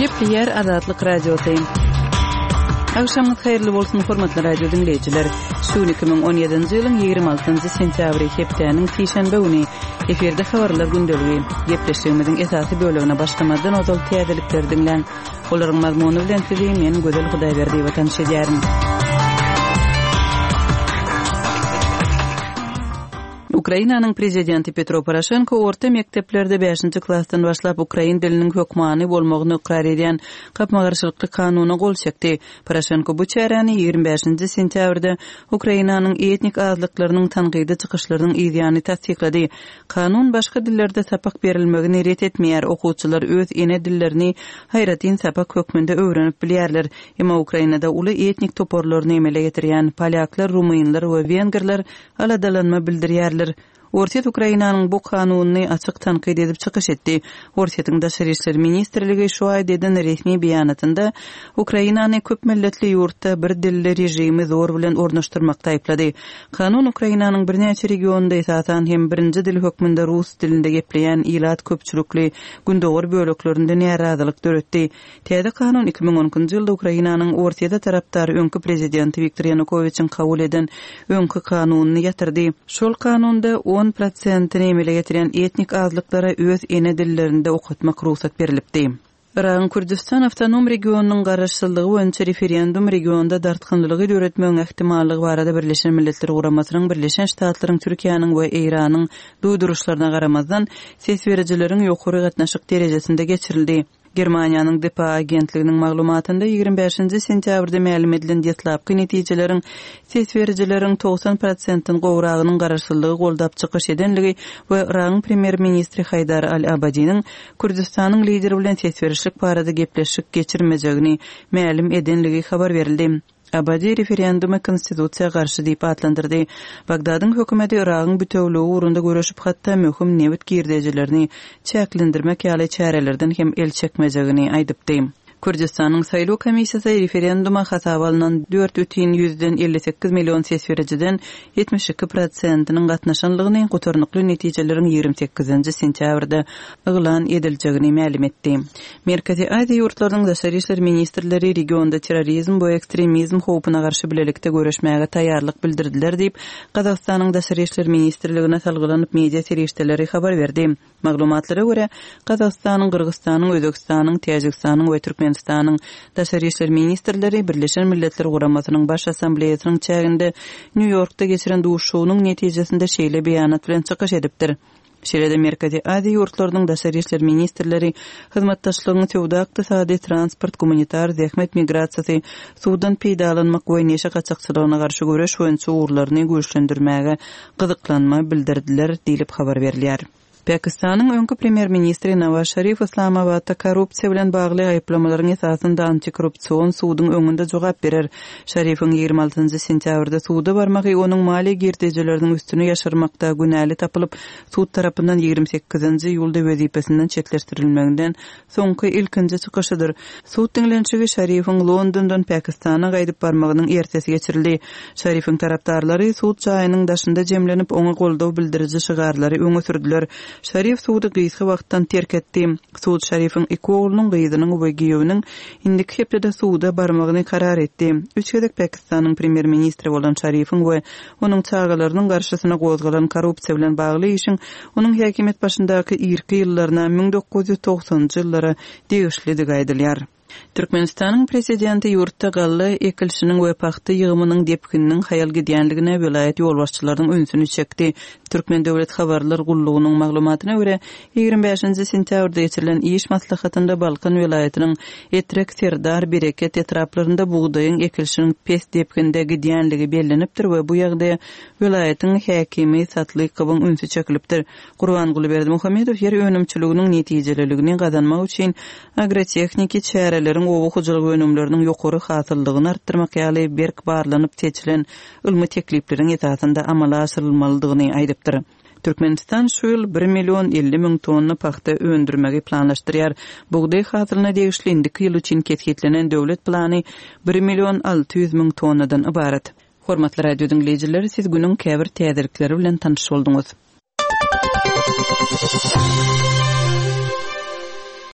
Gepleýär Azatlyk Radiosy. Agşamyňyz haýyrly bolsun, hormatly radio diňleýjiler. Şu gün 2017-nji ýylyň 26-njy sentýabry, hepdäniň sişenbe güni. Efirde habarlar gündeligi. Gepleşigimiziň esasy bölegine başlamazdan ozal täzelikleri diňläň. Olaryň mazmuny bilen sizi men Gözel Hudaýberdiýewa tanyş edýärin. Ukrainanyň prezidenti Petro Poroşenko orta mekdeplerde bäşinji klasdan başlap ukrain diliniň hökmany bolmagyny ykrar edýän gapma-garşylykly kanuna gol çekdi. Poroşenko bu çäräni 25-nji sentýabrda Ukrainanyň etnik azlyklarynyň tankydy çykyşlarynyň yzýany tassyklady. Kanun başga dillerde sapak berilmegini ret etmeýär, okuwçylar öz ene dillerini aýratyn sapak hökmünde öwrenip bilýärler. Emma Ukrainada uly etnik toparlaryny emele getirýän polýaklar, rumynlar we wengerler aladalanma bildirýärler. Orsýet Ukrainanyň bu kanunyny açyk tankyt edip çykyş etdi. Orsýetiň Daşary işler ministrligi şu aýda eden resmi beýanatynda Ukrainany köp milletli ýurtda bir dilli režimi zor bilen ornaşdyrmakda aýyplady. Kanun Ukrainanyň birnäçe regionynda esasan hem birinji dil hökmünde rus dilinde gepleýän ilat köpçülikli gündogar böleklerinde närazylyk döretdi. Täze kanun 2012-nji ýylda Ukrainanyň Orsýete tarapdar öňki prezidenti Wiktor Ýanukowiçiň kabul eden öňki kanunyny ýatyrdy. Şol kanunda on prosentini emele getirýän etnik azlyklara öz ene dillerinde okatmak rugsat berlipdi. Yragyň Kürdüstan awtonom regionynyň garaşsyzlygy boýunça referendum regionda dartgynlylygy döretmegiň ähtimallygy barada Birleşen Milletler Guramasynyň, Birleşen Ştatlaryň, Türkiýäniň we Eýranyň duýduryşlaryna garamazdan, ses berijileriň ýokary gatnaşyk derejesinde geçirildi. Germaniýanyň dpa agentliginiň maglumatynda 25-nji sentýabrda mälim edilen deslapky netijeleriň ses berijileriň 90 prosentden gowragynyň garaşsyzlygy goldap çykyş edenligi we Yragyň premýer-ministri Haýdar al-Abadiniň Kürdüstanyň lideri bilen ses berişlik barada gepleşik geçirmejegini mälim edenligi habar berildi. Abadi referendumy konstitusiýa garşy diýip atlandyrdy. Bagdadyň hökümeti Yragyň bitewüligi ugrunda göreşip, hatda möhüm nebit girdejilerini çäklendirmek ýaly çärelerden hem el çekmejegini aýdypdy. Kürdüstanyň saýlaw komissiýasy referenduma hasaba alnan dört bütin ýüzden 58 million ses berijiden 72 prosentiniň gatnaşanlygyny, gutarnykly netijeleriň 28-nji sentýabrda yglan ediljegini mälim etdi. Merkezi Aziýa ýurtlarynyň daşary işler ministrleri regionda terrorizm we ekstremizm howpuna garşy bilelikde göreşmäge taýýarlyk bildirdiler diýip, Gazagystanyň Daşary işler ministrligine salgylanyp media serişdeleri habar berdi. Maglumatlara görä, Gazagystanyň, Gyrgyzystanyň, Özbegistanyň, Täjigistanyň we Türkmenistanyň daşary işler ministrleri Birleşen Milletler Guramasynyň Baş Assambleýasynyň çäginde Nýu-Ýorkda geçiren duşuşygynyň netijesinde şeýle beýanat bilen çykyş edipdir. Şeýle-de Merkezi Aziýa ýurtlarynyň daşary işler ministrleri hyzmatdaşlygyň söwda-ykdysady, transport, gumanitar, zähmet migrasiýasy, suwdan peýdalanmak we neşe gaçakçylygyna garşy göreş boýunça ugurlaryny güýçlendirmäge gyzyklanma bildirdiler diýlip habar berilýär. Pakistanyň öňki premýer-ministri Nawaz Şarif Yslamabatda korrupsiýa bilen bagly aýyplamalaryň esasynda antikorrupsion suduň öňünde jogap berer. Şarifiň 26-njy sentýabrda suda barmagy onuň maliýe girdejileriniň üstüni ýaşyrmakda günäli tapylyp, sud tarapyndan 28-nji iýulda wezipesinden çetleşdirilmeginden soňky ilkinji çykyşydyr. Sud diňlenişigi Şarifiň Londondan Pakistana gaýdyp barmagynyň ertesi geçirildi. Şarifiň tarapdarlary sud jaýynyň daşynda jemlenip, oňa goldaw bildiriji şygarlary öňe sürdüler. Şarif sudy gysga wagtdan terk etdi. Sud Şarifiň iki oglunyň, gyzynyň we giýewiniň indiki hepdede suda barmagyny karar etdi. Üç gezek Pakistanyň premýer-ministri bolan Şarifiň we onuň çagalarynyň garşysyna gozgalan korrupsiýa bilen bagly işiň onuň häkimiýet başyndaky irki ýyllaryna, 1990-njy ýyllara degişlidigi aýdylýar. Türkmenistanyň prezidenti ýurtda galla ekilişiniň we pagta ýygymynyň depgininiň haýal gidýänligine welaýat ýolbaşçylarynyň ünsüni çekdi. Türkmen döwlet habarlar gullugynyň maglumatyna görä, 25-nji sentýabrda geçirilen iş maslahatynda Balkan welaýatynyň Etrek, Serdar, Bereket etraplarynda bugdaýyň ekilişiniň pes depginde gidýänligi bellenipdir we bu ýagdaýa welaýatyň häkimi Satlykowyň ünsi çekilipdir. Gurbanguly Berdimuhamedow ýer önümçiliginiň netijeliligini gazanmak üçin agrotehniki çäreleriň oba hojalyk önümleriniň ýokary hasyllylygyny artdyrmak ýaly berk barlanyp seçilen ylmy teklipleriň esasynda amala aşyrylmalydygyny aýdypdyr. Türkmenistan şu ýyl bir million 50 müň tonna pagta öndürmegi planlaşdyrýar. Bugdaý hasylyna degişli indiki ýyl üçin kesgitlenen döwlet plany bir million 600 müň tonnadan ybarat. Hormatly radio diňleýjiler, siz günüň käbir täzelikleri bilen tanyş bolduňyz.